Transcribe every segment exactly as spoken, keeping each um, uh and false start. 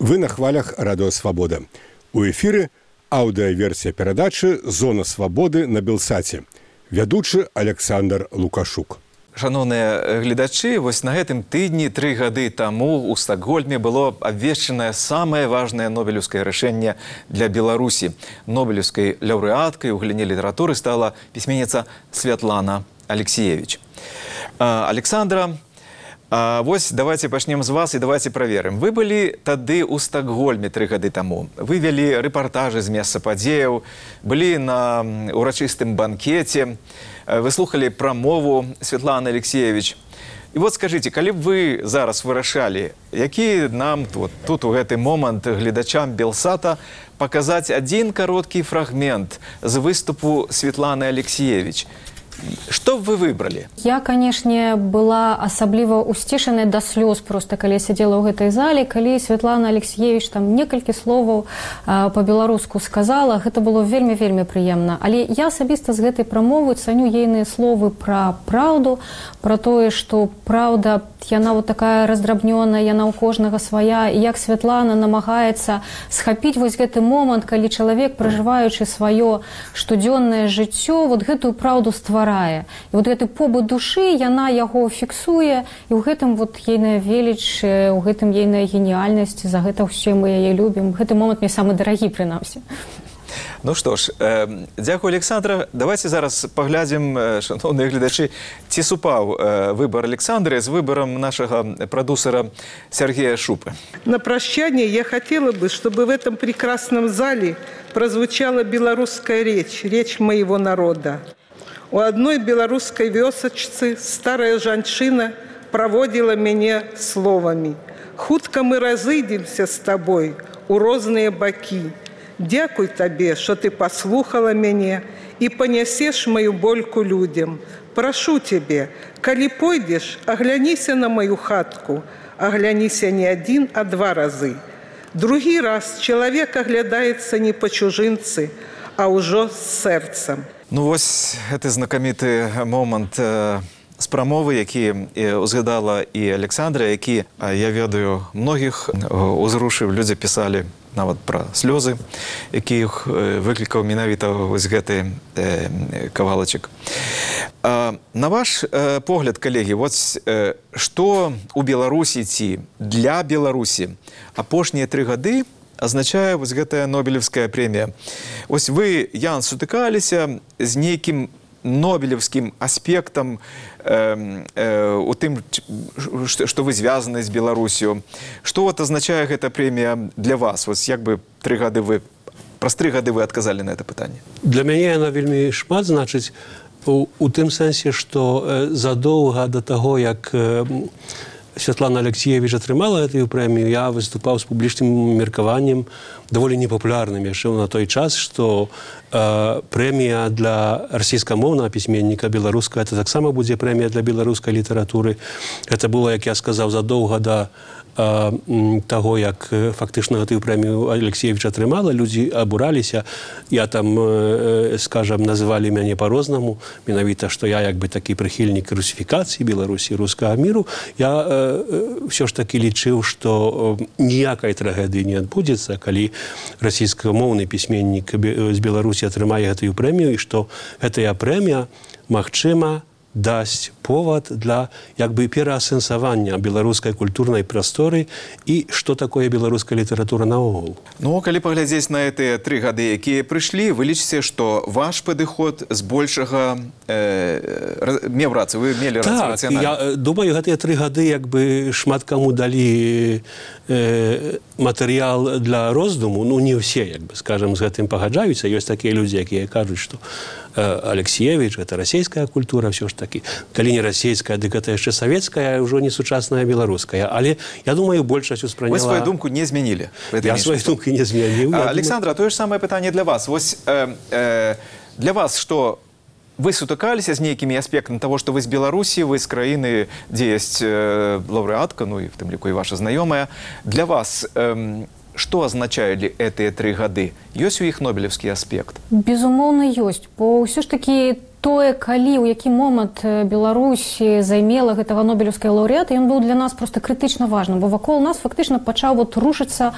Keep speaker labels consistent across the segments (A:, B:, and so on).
A: Вы на хвалях Радио Свобода. У эфіры аўдыаверсія перадачы «Зона свабоды» на Белсаце. Вядучы Александр Лукашук.
B: Шановныя гледачы, вось на гэтым тыдні тры гады таму ў Стакгольме было абвешчанае самае важнае нобелеўскае рашэнне для Беларусі. Нобелеўскай лаўрэаткай у галіне літаратуры стала пісьменніца Святлана Алексеевич. Александра, вось давайте пачнем з вас і давайте праверым. Вы былі тады ў Стакгольме тры гады таму. Вы вялі рэпартажы з месца падзеяў, былі на урачыстым банкеце, вы слухалі прамову Святланы Алексеевич. І вот скажыце, калі б вы зараз вырашалі, які нам тут, тут у гэты момант гледачам Белсата паказаць адзін кароткі фрагмент з выступу Святланы Алексеевич, што б вы выбралі?
C: Я, канешне, была асабліва усцішаная да слёз проста, калі я сядзела ў гэтай зале, калі Святлана Алексеевич там некалькі словаў па-беларуску сказала, гэта было вельмі-вельмі прыемна. Але я асабіста з гэтай прамовы цаню ейныя словы пра праўду, пра тое, што праўда, яна вот такая раздрабнёная, яна ў кожнага свая, і як Святлана намагаецца схапіць вось гэты момант, калі чалавек, пражываючы сваё штодзённае жыццё, вот гэтую праўду стварае. І вот гэты побыт душы, яна яго фіксуе, і ў гэтым вот ейная веліч, у гэтым ейная геніяльнасць, за гэта ўсе мы яе любім. Гэты момант мне самы дарагі, прынамсі.
B: Ну што ж, э, дзякую, Александра. Давайте зараз паглядзім, э, шановныя гледачы, ці супаў э, выбор Александры з выбором нашего продюсера Сергея Шупы.
D: На прощание я хотела бы, чтобы в этом прекрасном зале прозвучала белорусская речь, речь моего народа. У одной белорусской вёсачцы старая жанчына проводила меня словами: «Хутка мы разыдемся с тобой у розныя бакі. Дякуй табе, что ты послухала мяне и понесешь мою больку людям. Прошу тебе, калі пойдешь, огляніся на мою хатку, огляніся не один, а два разы. Другі раз человек оглядается не по чужинцы, а ўжо з сэрцам».
B: Ну вось гэты знакаміты момант э, з прамовы, які э, узгадала і Александра, які, э, я ведаю, многіх э, узрушыў, людзі пісалі нават пра слёзы, якіх э, выклікаў менавіта вось гэты э, кавалачак. Э, на ваш э, погляд, калегі, вот э, што у Беларусі ці для Беларусі апошнія тры гады азначае вось гэтая нобелевская прэмія. Ось вы, Ян, сутыкаліся з нейкім нобелевскім аспектам э, э, у тым, што вы звязаны з Беларусю. Што вот азначае гэта прэмія для вас? Вось як бы тры гады вы, праз тры гады вы адказалі на гэта пытанне?
E: Для мяне яна вельмі шмат значыць у, у тым сэнсе, што э, задоўга да таго, як э, Святлана Алексеевич атрымала гэтую прэмію, я выступаў з публічным меркаваннем, даволі непапулярным яшчэ на той час, што э, прэмія для расійскамоўнага пісьменніка беларускага, это таксама будзе прэмія для беларускай літаратуры. Гэта было, як я сказаў, задоўга да э, таго, як фактычна гэтую прэмію Алексеевич атрымала, людзі абураліся. Я там, э, скажам, называлі мяне па-рознаму, менавіта, што я як бы такі прыхільнік русіфікацыі Беларусі, рускага міру. Я э, ўсё ж такі лічыў, што ніякай трагедыі не адбудзецца, калі расійскамоўны пісьменнік з Беларусі атрымае гэтую прэмію, і што гэтая прэмія, магчыма, дасць повод для як бы пераасэнсавання беларускай культурнай прасторы і што такое беларуская літаратура наогул.
B: Ну, калі паглядзець на гэтыя тры гады, якія прыйшлі, вы лічыце, што ваш падыход збольшага э, меў рацыю, вы мелі рацыю рацыянальна?
E: Так, я думаю, гэтыя тры гады як бы шмат каму далі э, матэрыял для роздуму, ну не ўсе, як бы, скажам, з гэтым пагаджаюцца. Ёсць такія людзі, якія кажуць, што Алексеевич, это расійская культура, все ж таки. Калі не расійская, дык это яшчэ савецкая, ўжо не сучасная беларуская. Але, я думаю, большасць успрыняла...
B: Вы свою думку не змянілі.
E: Я свою думку не змяніў.
B: Александра, тое ж самае пытанне для вас. Вось э, э, для вас, што вы сутыкаліся з нейкімі аспектамі таго, што вы з Беларусі, вы з краіны, дзе ёсць э, лаўрэатка, ну і в тым ліку і ваша знаёмая. Для вас... Э, Што азначалі гэтыя тры гады? Ёсць у іх нобелевскі аспект?
C: Безумоўна, ёсць. Бо ўсё ж такі тое, калі, у які момант Беларусь займела гэтага нобелеўскага лаўрэата, ён быў для нас просто крытычна важным, бо вакол нас фактычна пачаў вот рушыцца,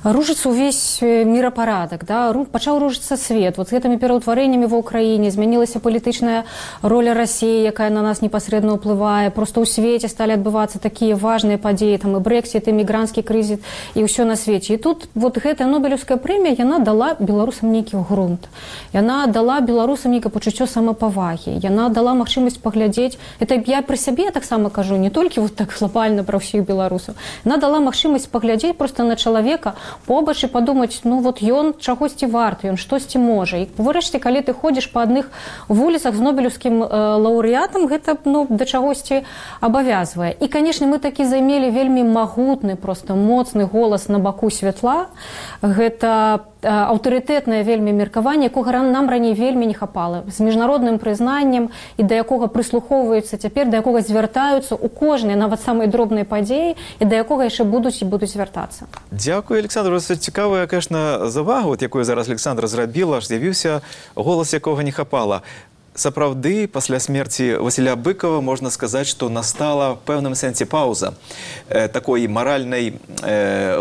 C: рушыцца ўвесь мірапарадак, да? Пачаў рушыцца свет. Вот з гэтымі пераўтварэннямі ва ўкраіне змянілася палітычная роля Расіі, якая на нас непасрэдна ўплывае. Просто ў свеце сталі адбывацца такія важныя падзеі, там і брэксіт, і мігранцкі крызіс, і ўсё на свеце. І тут вот гэтая нобелеўская прэмія, яна дала беларусам нейкі грунт. Яна дала беларусам нейкае пачуццё самапавагі. Яна дала магчымасць паглядзець, это я пры сябе таксама кажу, не толькі вот так глобальна пра ўсіх беларусаў. Яна дала магчымасць паглядзець просто на чалавека побач і падумаць, ну вот ён чагосьці варты, ён штосьці можа. І врэшце, калі ты ходзіш па адных вуліцах з нобелеўскім э, лаўрэатам, гэта ну, да чагосьці абавязвае. І, канешне, мы такі займелі вельмі магутны, просто моцны голас на баку святла. Гэта аўтарытэтнае вельмі меркаванне, якога нам раней вельмі не хапала, з міжнародным прызнаннем і да якога прыслухоўваюцца цяпер, да якога звяртаюцца ў кожнай, нават самай дробнай падзеі, і да якога яшчэ будуць і будуць звяртацца.
B: Дзякую, Александр. Цікавая, конечно, завага, от якую зараз Александра зрабіла, аж з'явіўся голас, якога не хапала. Сапраўды, пасля смерці Васіля Быкова можна сказаць, што настала ў пэўным сэнсе паўза э, такой маральнай, э,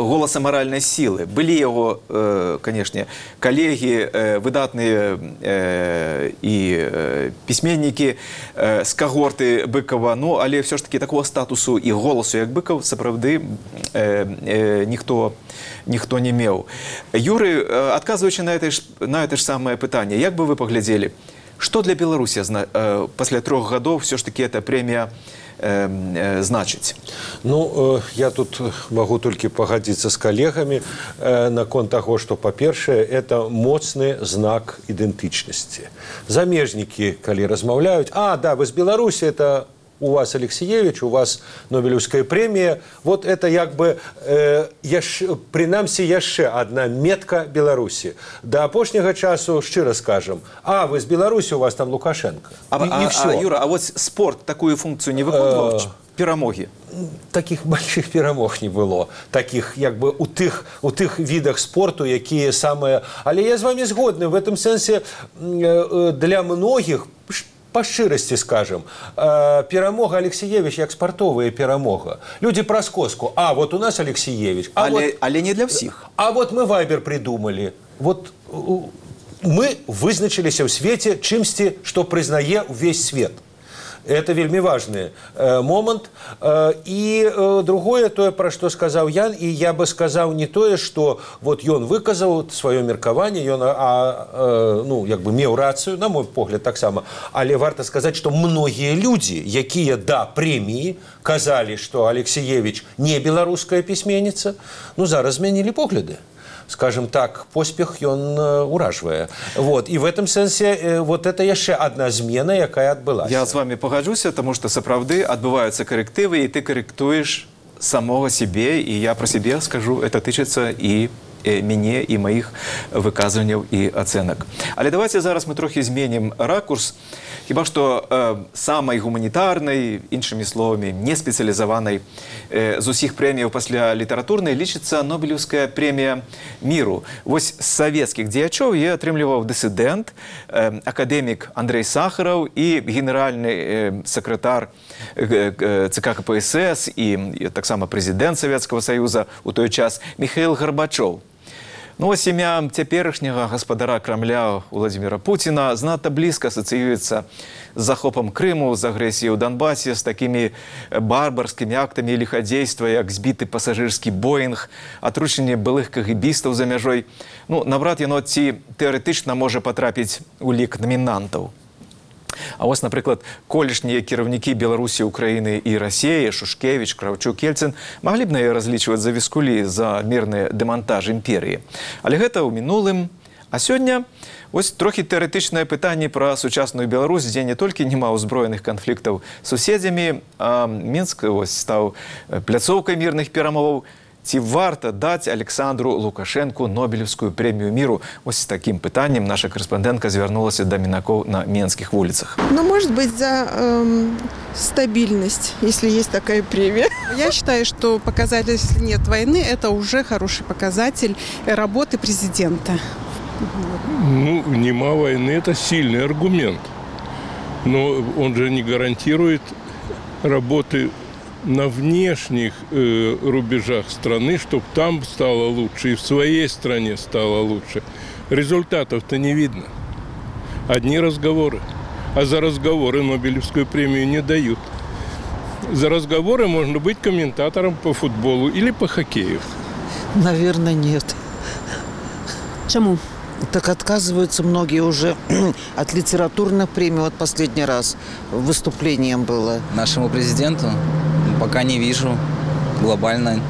B: голаса маральнай сілы. Былі яго, э, канешне, калегі, э, выдатныя э, і э, пісьменнікі э, з кагорты Быкова, ну, але ўсё ж такі такого статусу і голасу, як Быкаў, сапраўды э, э, ніхто, ніхто не меў. Юры, э, адказваючы на гэта ж, на гэта ж самае пытанне, як бы вы паглядзелі, что для Беларуси э, после трех годов все-таки эта премия э, э, значит?
F: Ну, э, я тут могу только погодиться с коллегами э, на конт того, что, по-першее, это моцный знак идентичности. Замежники, коли размовляют, а, да, вы с Беларуси, это у вас Алексеевич, у вас Нобелевская премия, вот это як бы, э, яш, принамсі, яшчэ одна метка Беларуси. До апошняга часу, шчыра скажем, а, вы с Беларуси, у вас там Лукашенко.
B: А,
F: и,
B: а,
F: и все.
B: А, Юра, а вот спорт такую функцию не выконывал? Перамоги?
F: Таких больших перамог не было. Таких, як бы, у тых, у тых видах спорту, якія самые... Але я з вами згодны. В этом сенсе для многих... По шчырасці скажем, э, перамога Алексеевич як спартовая перамога. Люди праз коску. А, вот у нас Алексеевич. А
B: але,
F: вот,
B: але не для всех.
F: А вот мы Вайбер придумали. Вот мы вызначились в свете чымсьці, что признае весь свет. Это вельмі важный э, момент. Э, и э, другое, то, про что сказал Ян, и я бы сказал не то, что вот ён выказал свое меркаванне, ён, а, э, ну, як бы меў рацию, на мой погляд, так само. Але варто сказать, что многие люди, якія да премии, казали, что Алексеевич не белорусская письменница, ну, зараз змянілі погляды. Скажем так, поспех ён уражвае. Вот. И в этом сенсе вот это яшчэ одна змена, якая адбылася.
B: Я с вами погоджуся, потому что сапраўды адбываюцца коррективы, и ты корректуешь самого себе, и я про себе скажу, это тычыцца и мяне, и моих выказванняў и оценок. Але давайте зараз мы трохи зменім ракурс. Хіба што э, самай гуманітарнай, іншымі словамі, не спецыялізаванай э, з усіх прэміяў пасля літаратурнай лічыцца Нобелеўская прэмія міру. Вось з савецкіх дзеячоў я атрымліваў дысідэнт, э, акадэмік Андрей Сахараў і генеральны э, сакратар э, э, ЦК КПСС і, і таксама прэзідэнт Савецкага Саюза у той час Міхаіл Гарбачоў. Ну, а сім'я цяперашняга гаспадара Крамля Владзіміра Пуціна знатна блізка асацыюецца з захопам Крыму, з агрэсіяй у Донбасе, з такімі барбарскімі актамі ліхадзейства, як збіты пасажырскі Боінг, атручэнне былых кагібістаў за мяжой. Ну, наўрад яно ці тэарэтычна можа патрапіць у лік намінантаў. А вось, напрыклад, колішнія кіраўнікі Беларусі, Украіны і Расіі, Шушкевіч, Краўчук, Ельцын маглі б на яе разлічваць за віскулі за мірны дэмантаж імперіі. Але гэта ў мінулым. А сёння вось трохі тэарэтычнае пытанне пра сучасную Беларусь, дзе не толькі няма ўзброеных канфліктаў з суседзямі, а Мінск вось стаў пляцоўкай мірных перамоваў. Ці варта даць Александру Лукашенку Нобелевскую премию миру? Вот с таким питанием наша корреспондентка звернулась до Минаков на Менских улицах.
G: Ну, может быть, за эм, стабильность, если есть такая премия. Я считаю, что показатель, если нет войны, это уже хороший показатель работы президента.
H: Ну, нема войны – это сильный аргумент. Но он же не гарантирует работы на внешних э, рубежах страны, чтобы там стало лучше и в своей стране стало лучше. Результатов-то не видно. Одни разговоры. А за разговоры Нобелевскую премию не дают. За разговоры можно быть комментатором по футболу или по хоккею.
I: Наверное, нет.
J: Чему?
I: Так отказываются многие уже от литературных премий. Вот последний раз выступлением было.
K: Нашему президенту пока не вижу. Глобально,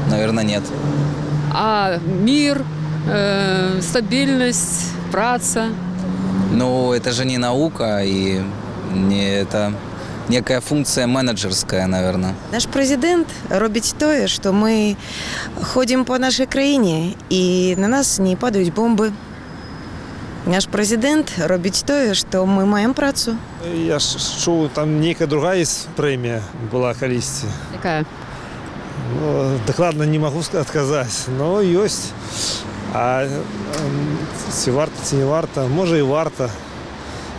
K: наверное, нет.
J: А мир, э, стабильность, праца?
K: Ну, это же не наука, и не это некая функция менеджерская, наверное.
L: Наш президент робить тое, что мы ходим по нашей краине, и на нас не падают бомбы. Наш президент робить тое, что мы маем працу.
M: Я шел, там некая другая есть премия была колись.
J: Какая?
M: Ну, докладно не могу отказать, но есть. А ці варта, ці не варта, може і варта,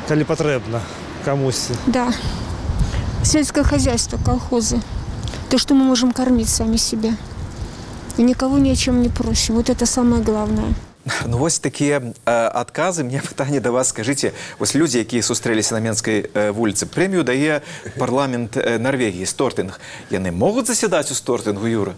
M: коли потрібно комусь.
N: Да. Сельское хозяйство, колхозы. То, что мы можем кормить сами себя. И никого ни о чем не просим. Вот это самое главное.
B: Ну, вось такія адказы. Мне пытанне да вас, скажыце, вось людзі, якія сустрэліся на Менскай вуліцы, прэмію дае парламент Норвегії, Стортинг. Яны могуць засядаць у Стортингу, Юра?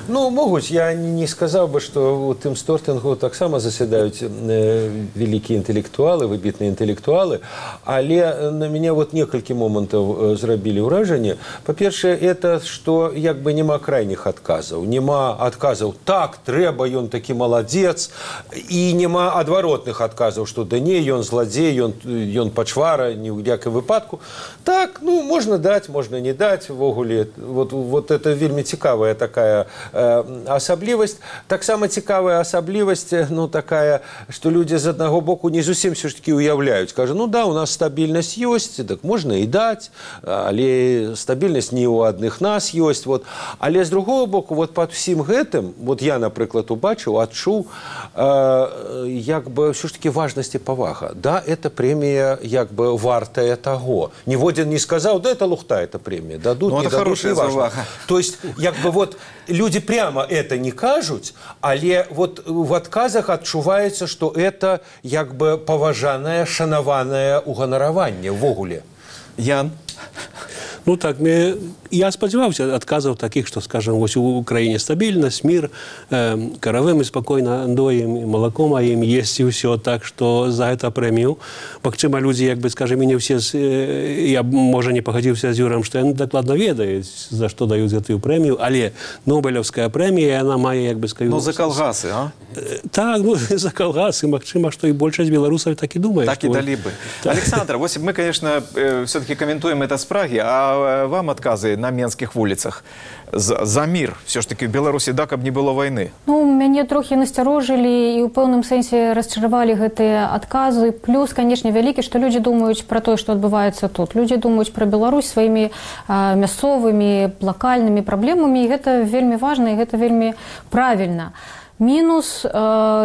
F: Ну, могуць. Я не сказаў бы, што у тым Стортингу таксама засядаюць вялікія інтэлектуалы, выбітныя інтэлектуалы, але на мяне вот некалькі момантаў зрабілі ўражанне. Па-першае, это, што як бы няма крайніх адказаў. Няма адказаў, так, трэба, ён такі маладзец, і няма адваротных адказаў, што да не, ён зладзей, ён, ён пачвара, ні ў якім выпадку. Так, ну, можна даць, можна не даць, ввогуле. Вот, вот это вельмі цікавая такая э, асаблівасць. Таксама цікавая асаблівасць, ну, такая, што людзі з аднаго боку не зусім все ж таки уяўляюць. Кажа, ну да, у нас стабільнасць ёсць, так можна і даць, але стабільнасць не ў адных нас ёсць. Вот. Але з другого боку, вот пад усім гэтым, вот я, напрыклад, убачыў, адчуў, э, як бы все ж таки важность и повага. Да, эта премия як бы вартая того. Ніводзін не сказал, да, это лухта, эта премия. Дадут,
B: ну,
F: не
B: это
F: дадут, не важно. То есть, як бы вот люди прямо это не кажут, але вот в отказах адчуваецца, что это як бы поважанное, шанаванное уганараванне ввогуле.
B: Ян?
E: Ну так, мне, я спадзяваўся адказаў такіх, што, скажам, вось у краіне стабільнасць, мір, э, каравы мы спакойна доім, малако маім, есць і ўсё, так што за гэта прэмію. Магчыма, людзі, як бы, скажам, і не ўсе, э, я, можа, не пагадзіўся з Юрам, што яны дакладна ведаюць, за што даюць гэтую прэмію, але Нобелевская прэмія, яна мае, як бы, скажу...
B: Ну, за калгасы, а?
E: Э, так, ну, за калгасы, магчыма, што і большасць беларусаў так і думае.
B: Так і далі бы. Так. Александр, вось мы, конечно, э, все-таки комментуем это с Праги, а вам отказы на менских улицах за, за мир все ж таки в Беларуси, да, каб не было войны?
C: Ну, мяне трохи насцярожылі і ў пэўным сэнсе расчаравалі гэтыя адказы. Плюс, конечно, вялікі, што людзі думаюць пра тое, што адбываецца тут. Людзі думаюць пра Беларусь сваімі а, мясцовымі, лакальнымі праблемамі, і гэта вельмі важна, і гэта вельмі правільна. Мінус, э,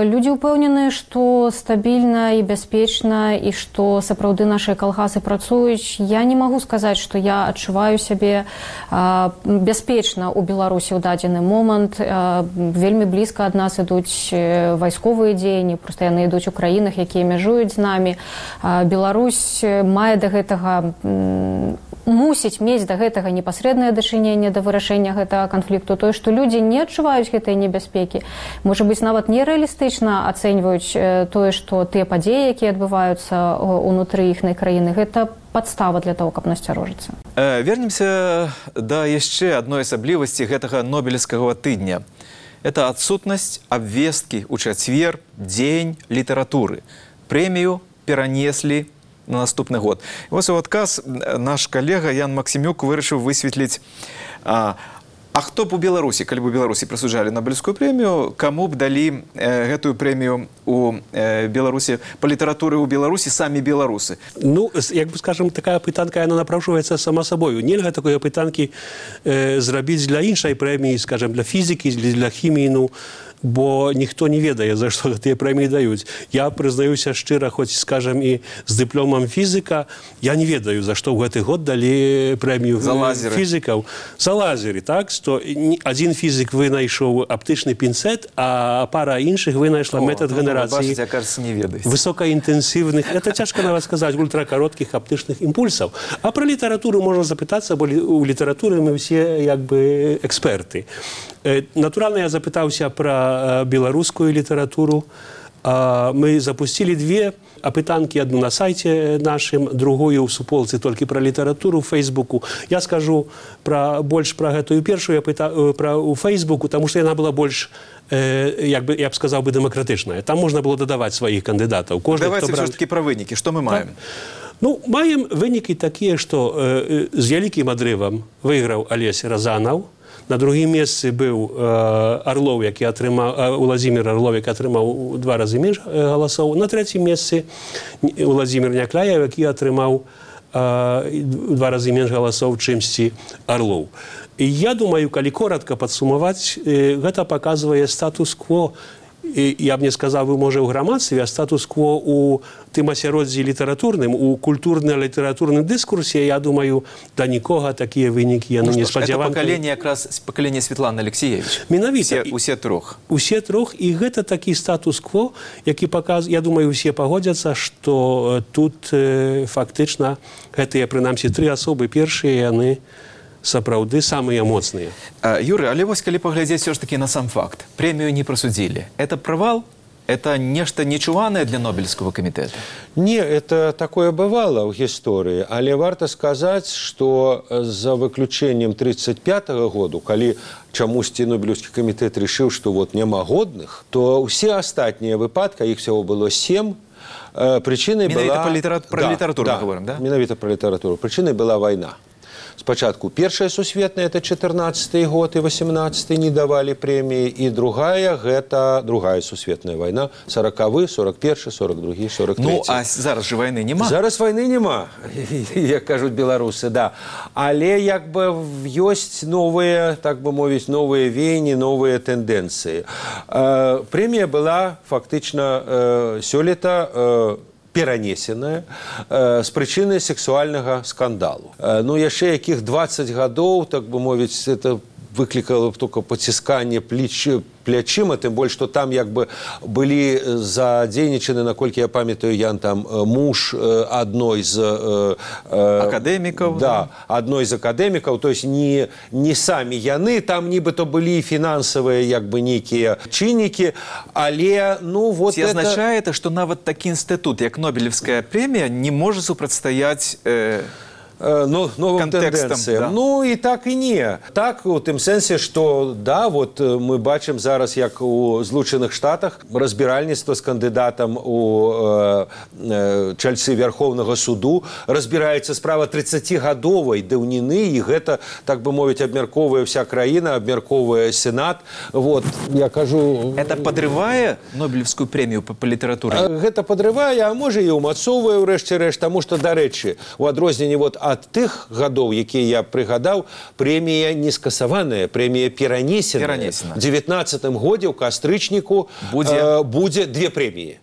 C: людзі ўпэўненыя, што стабільна і бяспечна, і што сапраўды нашыя калгасы працуюць. Я не магу сказаць, што я адчуваю сябе э, бяспечна ў Беларусі ў дадзены момант. Э, вельмі блізка ад нас ідуць вайсковыя дзеянні, проста яны ідуць у краінах, якія мяжуюць з намі. Э, Беларусь мае да гэтага, м, мусіць мець да гэтага непасрэднае дачыненне да вырашэння гэтага канфлікту. Тое, што людзі не адчуваюць гэтыя небяспекі, можа быць, нават нерэалістычна ацэньваюць тое, што тыя падзеі, якія адбываюцца ўнутры іхнай краіны, гэта падстава для того, каб насцярожыцца.
B: Э, вернемся да яшчэ адной асаблівасці гэтага нобелевскага тыдня. Это адсутнасць абвесткі ў чацвер, дзень літаратуры. Прэмію перанеслі на наступны год. І вось у адказ наш калега Ян Максімюк вырашыў высветліць, а, а хто б у Беларусі, калі б у Беларусі прысуджалі Нобелевскую прэмію, каму б далі э, гэтую прэмію у э, Беларусі, па літаратуры ў Беларусі самі беларусы?
E: Ну, як бы, скажем, такая пытанка, яна напрашваецца сама сабою. Нельга такой пытанкі э, зрабіць для іншай прэміі, скажем, для фізікі, для хіміі, ну, бо ніхто не ведае, за што гэтыя прэміі даюць. Я прызнаюся шчыра, хоць, скажам, і з дыпломам фізіка, я не ведаю, за што ў гэты год далі прэмію фізікаў. За лазеры, так? Што адзін фізік вынайшоў аптычны пінцэт, а пара іншых вынайшла метад генерацыі высокаінтэнсіўных, это цяжка нават сказаць, ультракароткіх аптычных імпульсаў. А пра літаратуру можна запытацца, бо у літаратуры мы ўсе як бы эксперты. Натуральна, я запытаўся пра беларускую літаратуру. Мы запусцілі две апытанкі, адну на сайце нашым, другую ў суполцы толькі пра літаратуру ў Фейсбуку. Я скажу пра, больш пра гэтую першую у Фейсбуку, таму што яна была больш, як бы, я б сказаў бы, дэмакратычная. Там можна было дадаваць сваіх кандыдатаў.
B: Давайте все ж таки пра вынікі. Што мы маем?
E: Ну, маем вынікі такія, што з вялікім адрывам выйграў Алесь Разанаў. На другім месцы быў Арлоў, які атрымаў, Уладзімір Арлоў, які атрымаў два разы менш галасоў. На трэцім месцы Уладзімір Някляєв, які атрымаў два разы менш галасоў, чымсьці Арлоў. І я думаю, калі коротка падсумаваць, гэта паказвае статус-кво, я б не сказаў бы, можа, ў грамадстве, а статус-кво у тым асяроддзі літаратурным, у культурна-літаратурным дыскурсе, я думаю, да нікога такія вынікі яны не спадзяваныя.
B: Это пакаленне якраз пакаленне Светланы Алексеевич.
E: Менавіта.
B: Усе трох.
E: Усе трох, і гэта такі статус-кво, які паказвае, я думаю, усе пагодзяцца, што тут фактычна гэтыя, прынамсі, тры асобы першыя, яны сапраўды самыя моцныя.
B: Юры, але вось калі паглядзець все ж таки на сам факт. Прэмію не прасудзілі. Это правал? Это нешта нечуванае для Нобелевского комитета?
F: Не, это такое бывало в истории. Але варто сказать, что за выключением тридцать пятого года, калі чамусьці Нобелевский комитет решил, что вот няма годных, то все остальные выпадки, их всего было семь, причиной была...
B: Менавіта про
F: да,
B: литературу
F: да,
B: мы говорим, да?
F: Менавіта про литературу. Причиной была война. Спочатку Первая сусветная, это четырнадцатый год и восемнадцатый не давали премии, и другая, это другая сусветная война, сороковый, сорок первый, сорок другой, сорок третий.
B: Ну, а зараз же войны нема?
F: Зараз войны нема, як кажут белорусы, да. Але як бы есть новые, так бы мовить, новые веяния, новые тенденции. Премия была фактично сёлета перанесеная э, з прычыны сексуальнага скандалу. Э, ну, яшчэ якіх двадцать гадоў, так бы мовіць, это выклікала только пацісканне плечи, плячыма, тым больш, што там як бы былі задзейнічаны, наколькі я памятаю, Ян, там муж адной з э,
B: акадэмікаў.
F: Да, адной з акадэмікаў, то есть не, не самі яны, там нібыта былі фінансавыя як бы нейкія чыннікі, але ну вот
B: ці
F: это...
B: азначае это, што нават такі інстытут, як Нобелевская премія, не можа супрацьстаяць э...
F: Ну, новым тенденциям. Да. Ну, и так и не. Так, у тым сэнсе, что, да, вот мы бачым зараз, як у Злучаных Штатах, разбіральніцтва з кандыдатам у э, э, чальцы Верховнага суду, разбіраецца справа тридцатигадовай даўніны, і гэта, так бы мовіць, абмярковая вся краіна, абмярковая Сенат. Вот, я кажу...
B: Это подрывае Нобелевскую премию по, по литературе?
F: Гэта подрывае, а можа і ўмацоўвае, урэшце рэшт, таму што, дарэчы, у адрозненні вот ад тых гадоў, якія я прыгадаў, прэмія не скасаваная, прэмія перанесеная.
B: Перанесена.
F: В девятнадцатым годзе ў кастрычніку будзе, э, будзе две прэміі.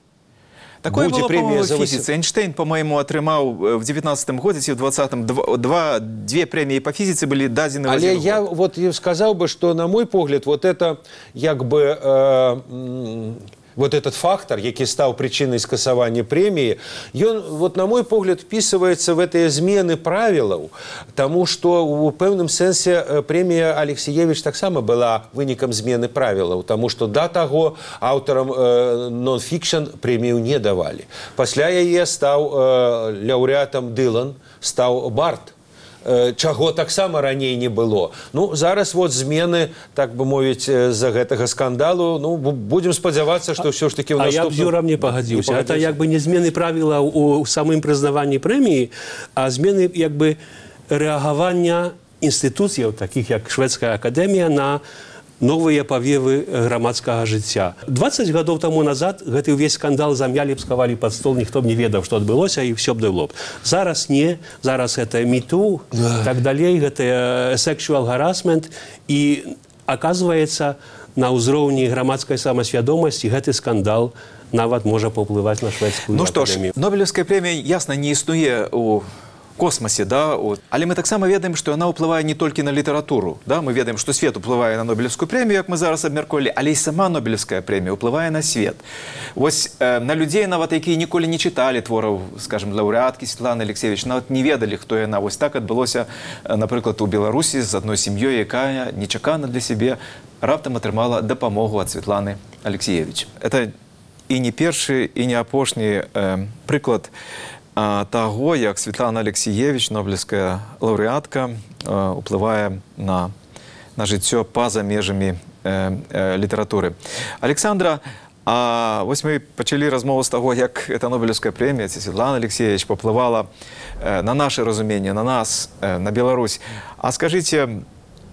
B: Такое было, по-моему, в физице. Эйнштейн, по-моему, атрымаў в девятнадцатым годзе ці в двадцатым два, две премии по физице были дадзены в
F: один год. Але я вот сказал бы, что, на мой погляд, вот это як бы... Э, вот этот фактор, які стаў причиной скасавання премии, он, вот, на мой погляд, вписывается в эти змены правилов, тому что в пэўным сэнсе премия Алексеевич таксама была вынікам змены правилов, тому что до того авторам э, нон-фикшн премию не давали. Пасля яе стаў э, лаўрэатам Дылан, стаў Барт, чаго таксама раней не было. Ну, зараз вот змены, так бы мовіць, з-за гэтага скандалу, ну, будем спадзявацца, што ўсё ж таки ў
E: наступным... А я б з Юрам не пагадзіўся. Это як бы не змены правіла ў самым прызнаванні прэміі, а змены як бы рэагавання інстытуцыяў, такіх як Шведская акадэмія, на новыя павевы грамадскага жыцця. двадцать гадоў таму назад гэты ўвесь скандал замялі б, схавалі пад стол, ніхто б не ведаў, што адбылося, і ўсё б было б. Зараз не, зараз гэта міту, так далей, гэта sexual harassment, і, аказваецца, на ўзроўні грамадскай самасвядомасці гэты скандал нават можа паўплываць на шведскую
B: Ну што ж,
E: акадэмію.
B: Нобелевская прэмія, ясна, не існуе ў космосе, да, от. Але мы таксама ведаем, што яна ўплывае не толькі на літаратуру. Да? Мы ведаем, што свет уплывае на Нобелевскую прэмію, як мы зараз абмяркоўвалі, але і сама Нобелевская прэмія уплывае на свет. Вось э, на людзей, нават якія ніколі не чыталі твораў, скажем, лаўрэаткі Светланы Алексіевіч, нават не ведалі, хто яна. Вось так адбылося, напрыклад, у Беларусі з адной сям'ёй, якая нечакана для сябе раптам атрымала дапамогу ад Светланы Алексіевіч. Это і не першы, і не апошні э, прыклад таго, як Светлана Алексіевіч, нобелевская лаўрэатка, уплывае на, на жыццё па-за межамі э, э, літаратуры. Александра, а вось мы пачалі размову з таго, як эта нобелевская прэмія, ці Светлана Алексіевіч паўплывала э, на наше разуменне, на нас, э, на Беларусь. А скажыце,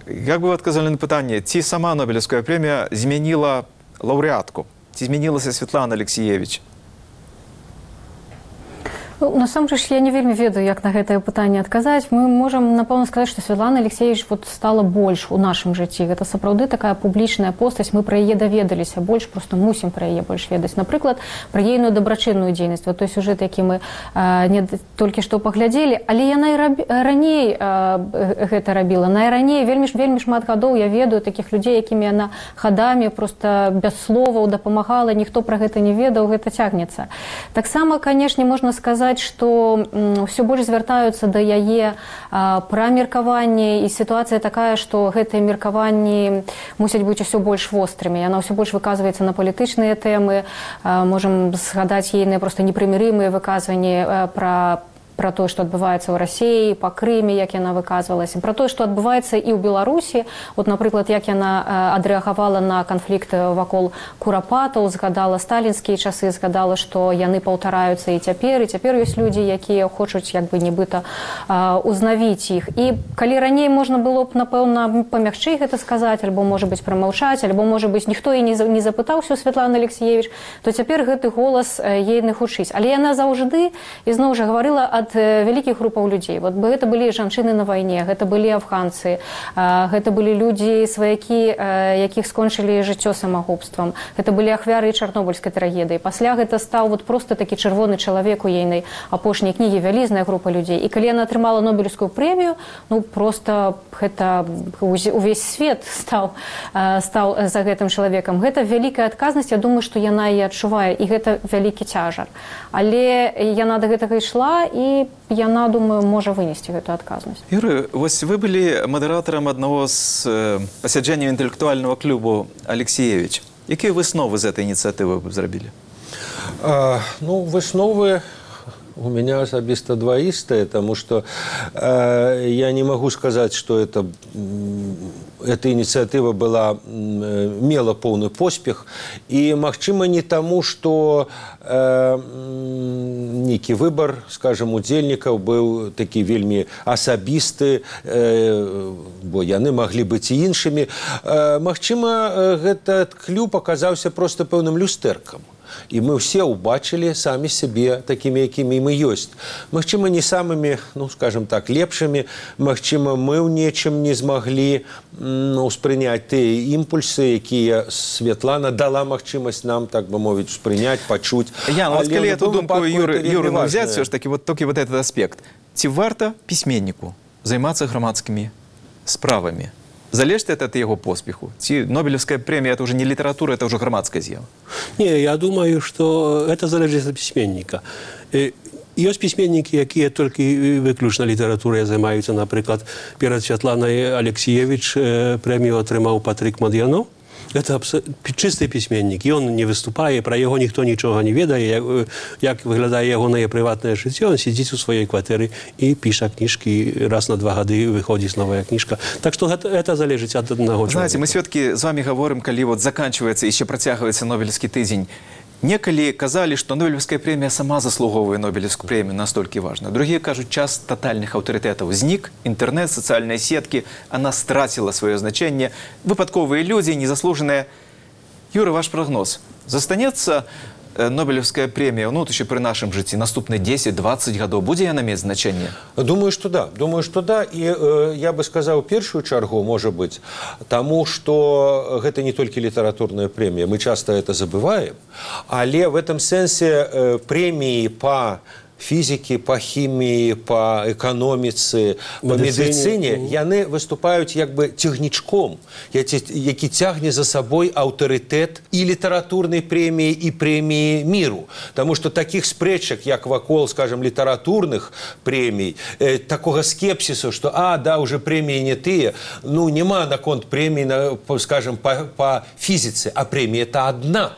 B: як бы вы адказалі на пытанне, ці сама нобелевская прэмія змяніла лаўрэатку? Ці змянілася Светлана Алексіевіч?
C: Ну, насамрэч, я не вельмі ведаю, як на гэтае пытанне адказаць. Мы можам, напэўна, сказаць, што Светлана Алексіевіч вот стала больш у нашым жыцці. Гэта сапраўды такая публічная постаць. Мы пра яе даведаліся больш, проста мусім пра яе больш ведаць. Напрыклад, пра ейную дабрачынную дзейнасць. Вот той сюжэт, які мы а, не толькі што паглядзелі, але яна і раб... раней а, гэта рабіла. Найраней вельмі, вельмі шмат гадоў я ведаю такіх людзей, якімі яна хадамі проста без словаў дапамагала, ніхто пра гэта не ведаў, гэта цягнецца. Таксама, канешне, можна сказаць, што ўсё больш звяртаюцца да яе пра меркаванне, і сітуацыя такая, што гэтыя меркаванні мусяць быць усё больш вострымі. Яна ўсё больш выказваецца на палітычныя тэмы. Можам згадаць ейныя проста непрымірымыя выказванні пра пра тое, што адбываецца ў Расіі, па Крыме, як яна выказвалася, пра тое, што адбываецца і ў Беларусі. От, напрыклад, як яна адрэагавала на канфлікт вакол курапатаў, згадала сталінскія часы, згадала, што яны паўтараюцца і цяпер, і цяпер ёсць людзі, якія хочуць як бы нібыта узнавіць іх. І калі раней можна было б, напэўна, памягчэй гэта сказаць, альбо, можа быць, прамаўчаць, альбо, можа быць, ніхто і не запытаўся у Светланы Алексіевіч, то цяпер гэты голас ейны хутчыць. Але яна заўжды, ізноў жа, гаварыла ад вялікіх групаў людзей. Вот гэта былі жанчыны на вайне, гэта былі афганцы, гэта былі людзі, сваякі, якіх скончылі жыццё самагубствам. Гэта былі ахвяры чарнобыльскай трагедыі. Пасля гэта стаў вот проста такі чырвоны чалавек у ейнай апошняй кнігі, вялізная група людзей. І калі яна атрымала Нобелевскую прэмію, ну проста гэта увесь свет стаў, стаў за гэтым чалавекам. Гэта вялікая адказнасць, я думаю, што яна і адчувае, і гэта вялікі цяжар. Але яна да гэтага ішла, і яна, думаю, можа вынесці гэту адказнасць.
B: Юрый, вось вы былі мадэратарам аднаго з пасяджэнняў інтэлектуальнага клубу Алексіевіч. Якія высновы з этой ініцыятывы вы зрабілі?
F: А, ну, высновы у меня особисто двоистые, потому что э, я не могу сказать, что это, эта инициатива была, мела полный поспех. И, магчыма, не тому, что э, некий выбор, скажем, удзельнікаў был такі вельмі асабісты, э, бо яны маглі быць і іншымі. Э, магчыма, этот клуб оказаўся просто пэўным люстэркам. И мы все убачили сами себе такими, якими мы есть. Магчыма, не самыми, ну, скажем так, лепшими. Магчыма, мы в нечем не смогли ну, успрынять те импульсы, якія Светлана дала магчымасць нам, так бы мовить, успрынять, почуть.
B: Я, ну, вот коли эту думку Юры, Юры ну, взять, все ж таки, вот только вот этот аспект. Ці варта письменнику займаться громадскими справами? Залежит это от его поспеху? Ці Нобелевская премия – это уже не литература, это уже громадская з'ява?
E: Не, я думаю, что это залежит от письменника. Есть письменники, якія толькі выключна літаратурай займаюцца. Напрыклад, перад Святланай Алексіевіч прэмію атрымаў Патрик Мадьяно. Это чисты пісьменнік. Ён не выступае, пра яго ніхто нічога не ведае, як выглядае ягонае прыватнае жыццё. Ён сидзіць у сваёй кватэры і піша кніжкі. Раз на два гады выходзіць новая кніжка. Так што гэта, это залежыць ад аднаго чалавека.
B: Знаете, мы сведкі з вами говорим, калі вот заканчивается, еще працягваецца Нобелевский тыдзень. Некалі казалі, што Нобелевская прэмія сама заслуговывае Нобелевскую прэмію, настолькі важна. Другие кажуць, час тотальных аўтарытэтаў знік, интернет, социальные сетки, она страцила свое значение. Выпадковые люди, незаслуженные. Юра, ваш прогноз. Застанецца Нобелевская премия, ну, еще при нашем житті, наступные десять-двадцать годов, будет она иметь значение?
F: Думаю, что да. Думаю, что да. И э, я бы сказал, первую чергу, может быть, тому, что это не только литературная премия. Мы часто это забываем. Але в этом сенсе э, премии по фізікі, па хіміі, па эканоміцы, па медыцыне, яны выступаюць як бы цягнічком, які цягне за сабой аўтарытэт і літаратурнай прэміі, і прэміі міру. Таму што такіх спрэчак, як вакол, скажем, літаратурных прэмій, э, такога скепсісу, што, а, да, уже прэміі не тыя, ну, няма наконт прэміі, скажем, па, па фізіцы, а прэмія-то адна.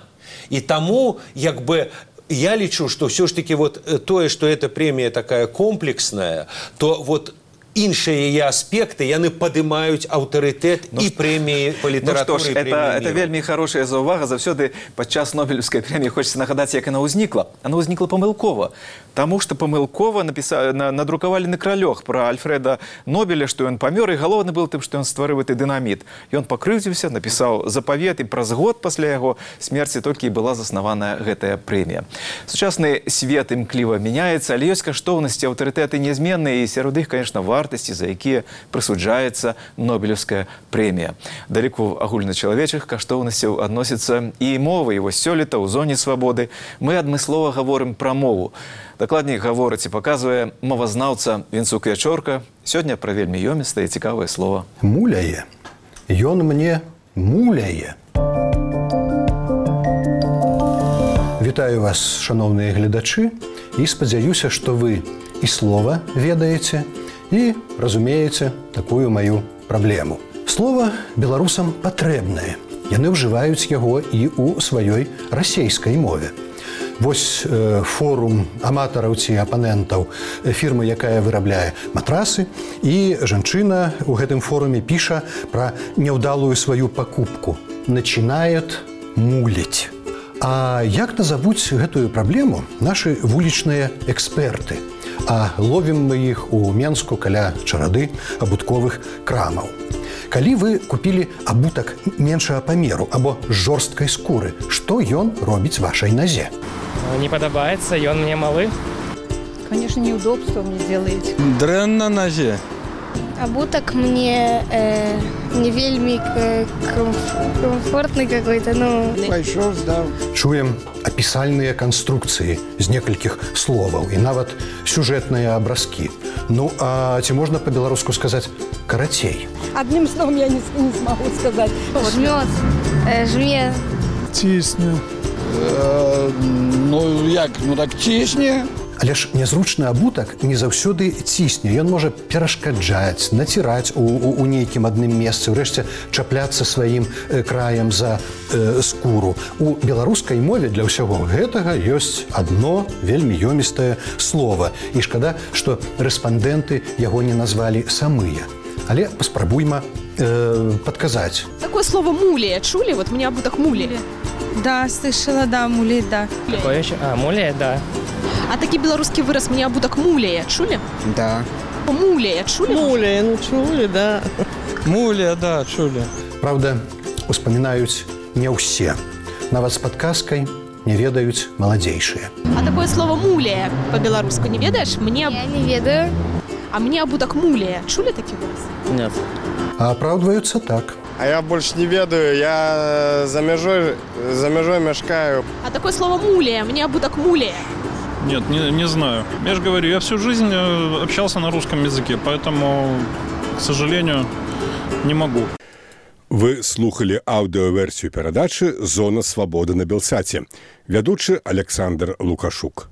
F: І таму, як бы, я лічу, что все-таки вот то, что эта премия такая комплексная, то вот іншыя яе аспекты, яны падымаюць аўтарытэт ну, і прэміі па літаратуры.
B: Ну што ж, это, это вельмі хорошая заўвага. Заўсёды падчас Нобелевскай прэміі хочется нагадаць, як она ўзнікла. Она ўзнікла памылкова. Таму што памылкова напіса... надрукавалі на кралёх пра Альфреда Нобеля, што ён памёр, і галоўны был тым, што ён стварыў гэты дынаміт. Ён пакрыўдзіўся, напісаў запавет, і праз год пасля яго смерці толькі і была заснаваная гэтая прэмія. Сучасны свет імкліва мяняецца, але ёсць каштоўнасці, аўтарытэты нязменныя, і сярод іх, конечно, варта за якія прысуджаецца Нобелевская прэмія. Да ліку агульначалавечых каштоўнасцяў адносіцца і мова. І вось сёлета ў зоне свабоды мы адмыслова гаворым пра мову. Дакладней гаворыць і паказвае мовазнаўца Вінцук Ячорка. Сёння пра вельмі ёмістае і цікавае слова.
O: Муляе. Ён мне муляе. Вітаю вас, шановныя гледачы, і спадзяюся, што вы і слова ведаеце, і разумееце такую маю праблему. Слова беларусам патрэбнае. Яны ўжываюць яго і ў сваёй расейскай мове. Вось э, форум аматараў ці апанентаў фірмы, якая вырабляе матрасы, і жанчына ў гэтым форуме піша пра няўдалую сваю пакупку. Начинает муліць. А як назавуць гэтую праблему нашы вулічныя эксперты? А ловім мы іх у Менску каля чарады абутковых крамаў. Калі вы купілі абутак меншага памеру або жорсткай скуры, што ён робіць вашай назе?
P: Не падабаецца, ён мне малы.
Q: Конечно, неудобство мне делаете.
R: Дрэнна на назе.
S: Абутак мне э, не вельмі комфортный какой-то, ну...
R: Пайшоў, здаў.
O: Чуем апісальныя канструкцыі з некалькіх словаў і нават сюжэтныя абразкі. Ну, а ці можна па-беларуску сказаць карацей?
Q: Одним словом я не, не смогу сказать.
S: Жмёт, э, жме.
R: Цісне. Э, ну, як? Ну, так цісне.
O: Але ж нязручны абутак не заўсёды цісне. Ён можа перашкаджаць, націраць у, у, у нейкім адным месцы, урэшце чапляцца сваім э, краем за э, скуру. У беларускай мове для ўсяго гэтага ёсць адно вельмі ёмістае слова. І шкада, што рэспандэнты яго не назвалі самыя. Але паспрабуйма э, падказаць.
Q: Такое слово «мулия» чули? Вот мне абутак «мулия».
T: Да, слышала, да, «мулия», да.
P: Какое еще? А, «мулия», да.
Q: А такі беларускі выраз «мне абутак мулия» чули?
K: Да.
Q: Мулия чули?
I: Мулия, ну чули, да.
R: Мулия, да, чули.
O: Правда, успамінаюць не ўсе. Нават з падказкай не ведаюць маладзейшыя.
Q: А такое слово «мулия» по-беларуску не ведаешь? Мне...
S: Я не ведаю.
Q: А мне абутак мулия. Чули такі выраз?
R: Нет.
O: А апраўдваюцца так.
U: А я больше не ведаю, я за межой, за межой мешкаю.
Q: А такое слово «мулия», мне абутак мулия.
V: Нет, не, не знаю. Я же говорю, я всю жизнь общался на русском языке, поэтому, к сожалению, не могу.
A: Вы слухали аўдыёверсію перадачы «Зона свабоды» на Белсаце. Вядучы Александр Лукашук.